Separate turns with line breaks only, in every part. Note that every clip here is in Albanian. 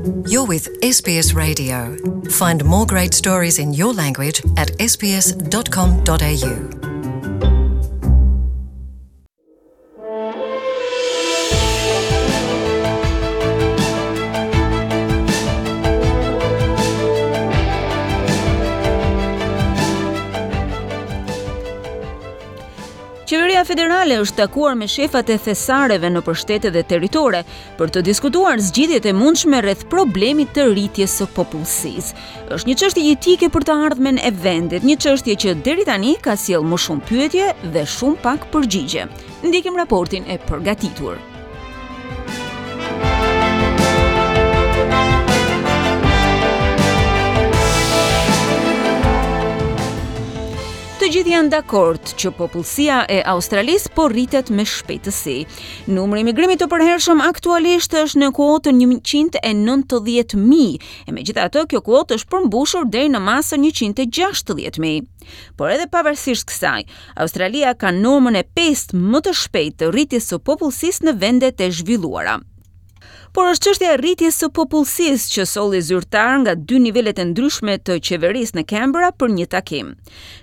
You're with SBS Radio. Find more great stories in your language at sbs.com.au.
Qeveria federale është takuar me shefat e thesareve nëpër shtete dhe territore për të diskutuar zgjidhjet e mundshme rreth problemit të rritjes së popullsisë. Është një çështje jetike për të ardhmen e vendit, një çështje që deri tani ka sjellë më shumë pyetje dhe shumë pak përgjigje. Ndjekim raportin e përgatitur. Të gjithë janë dakord që popullsia e Australisë po rritet me shpejtësi. Numri i migrimit të përhershëm aktualisht është në kuotën 190.000, e megjithatë kjo kuotë është përmbushur deri në masën 160.000. Por edhe pavarësisht kësaj, Australia ka normën e pestë më të shpejtë të rritjes së popullsisë në vendet e zhvilluara. Por është çështja e rritjes së popullsisë që solli zyrtarë nga dy nivelet e ndryshme të qeverisë në Canberra për një takim.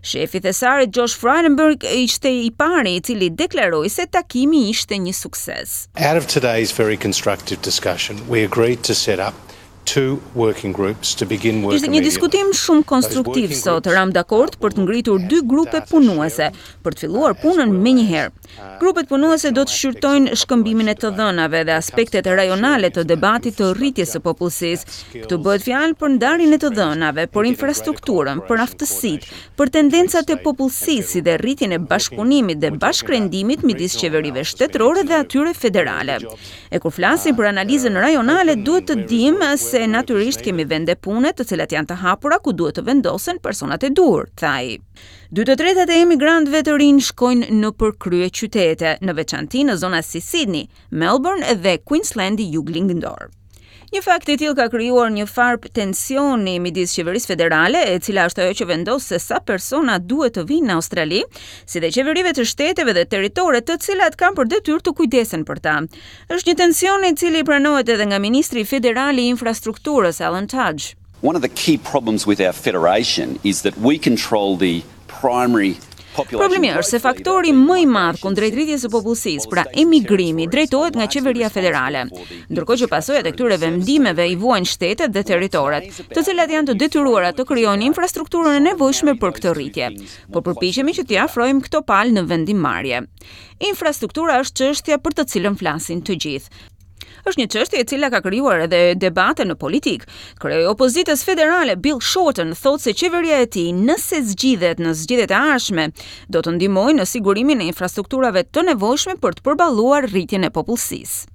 Shefi i thesarit Josh Frydenberg ishte i pari i cili deklaroi se takimi ishte një sukses.
Out of today's very constructive discussion, we agreed to set up two working groups to begin work
Ishte një diskutim shumë konstruktiv sot. Ramë dakord për të ngritur dy grupe punuese për të filluar punën menjëherë. Grupet punuese do të shqyrtojnë shkëmbimin e të dhënave dhe aspektet rajonale të debatit të rritjes së popullsisë. Këtu bëhet fjalë për ndarjen e të dhënave, për infrastrukturën, për aftësitë, për tendencat e popullsisë si dhe rritjen e bashkëpunimit dhe bashkërendimit midis qeverive shtetërore dhe atyre federale. E kur flasim për analizën rajonale, duhet të dimë se natyrisht kemi vende pune të cilat janë të hapura ku duhet të vendosen personat e duhur, tha ai. Dy të tretat e emigrantëve të rinj shkojnë nëpër kryeqytete, në veçanti në zona si Sydney, Melbourne dhe Queenslandi juglindor. Një fakt i tillë ka krijuar një farë tensioni midis qeverisë federale, e cila është ajo që vendos se sa persona duhet të vijnë në Australi, si dhe qeverive të shteteve dhe territore të cilat kanë për detyrë të kujdesen për ta. Është një tension i cili pranohet edhe nga ministri federal i infrastrukturës Alan Tudge.
One of the key problems with our federation is that we control the primary
Problemi është se faktori më i madh kundrejt rritjes së popullsisë, pra emigrimi, drejtohet nga qeveria federale, ndërkohë që pasojat e këtyre vendimeve i vuajnë shtetet dhe territoret, të cilat janë të detyruara të krijojnë infrastrukturën e nevojshme për këtë rritje. Po përpiqemi që t'i afrojmë këto palë në vendimmarrje. Infrastruktura është çështja për të cilën flasin të gjithë. Është një çështje e cila ka krijuar edhe debate në politikë. Kreu i opozitës federale Bill Shorten thotë se qeveria e tij, nëse zgjidhet në zgjedhjet e ardhshme, do të ndihmojë në sigurimin e infrastrukturave të nevojshme për të përballuar rritjen e popullsisë.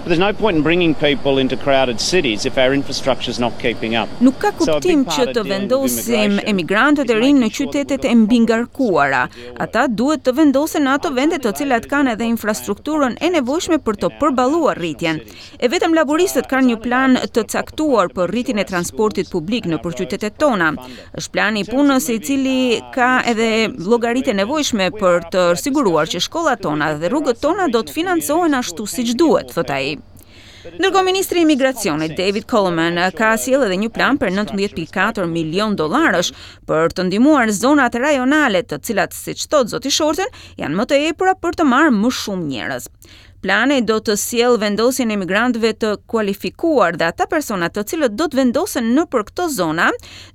There's no point in bringing people into crowded cities if our infrastructure's not keeping up.
Nuk ka kuptim që të vendosim emigrantët e rinj në qytetet e mbingarkuara. Ata duhet të vendosen në ato vende të cilat kanë edhe infrastrukturën e nevojshme për të përballuar rritjen. E vetëm laburistët kanë një plan të caktuar për rritjen e transportit publik nëpër qytetet tona. Është plani i punës i cili ka edhe llogaritë e nevojshme për të siguruar që shkollat tona dhe rrugët tona do të financohen ashtu siç duhet, thotë ai. Ndërkohë ministri i Migracionit David Coleman ka sjellë edhe një plan për 19.4 milion dollarësh për të ndihmuar zonat rajonale, të cilat, siç thotë zoti Shorten, janë më të epura për të marrë më shumë njerëz. Plani do të sjellë vendosjen e emigrantëve të kualifikuar dhe ata persona të cilët do të vendosen nëpër këto zona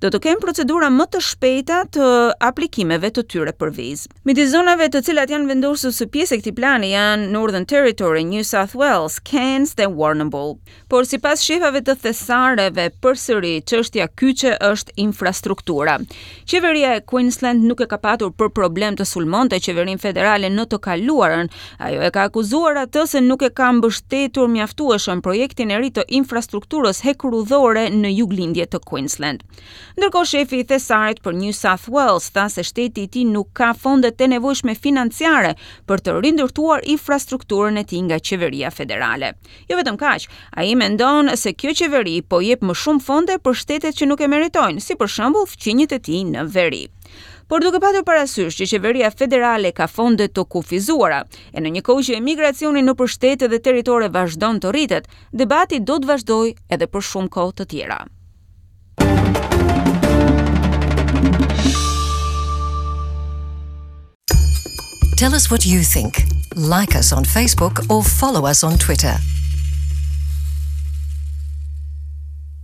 do të kenë procedura më të shpejta të aplikimeve të tyre për vizë. Midis zonave të cilat janë vendosur si pjesë e këtij plani janë Northern Territory, New South Wales, Cairns dhe Warrnambool. Por sipas shefave të thesareve, përsëri çështja kyçe është infrastruktura. Qeveria e Queensland nuk e ka patur për problem të sulmonte qeverinë federale në të kaluarën. Ajo e ka akuzuar atë se nuk e ka mbështetur mjaftueshëm projektin e ri të infrastrukturës hekurudhore në juglindje të Queensland. Ndërkohë shefi i thesarit për New South Wales tha se shteti i tij nuk ka fondet e nevojshme financiare për të rindërtuar infrastrukturën e tij nga qeveria federale. Jo vetëm kaq, ai mendon se kjo qeveri po jep më shumë fonde për shtetet që nuk e meritojnë, si për shembull fqinjët e tij në veri. Por duke patur parasysh që qeveria federale ka fonde të kufizuara, e në një kohë që emigracioni nëpër shtete dhe territore vazhdon të rritet, debati do të vazhdojë edhe për shumë kohë të tjera.
Tell us what you think. Like us on Facebook or follow us on Twitter.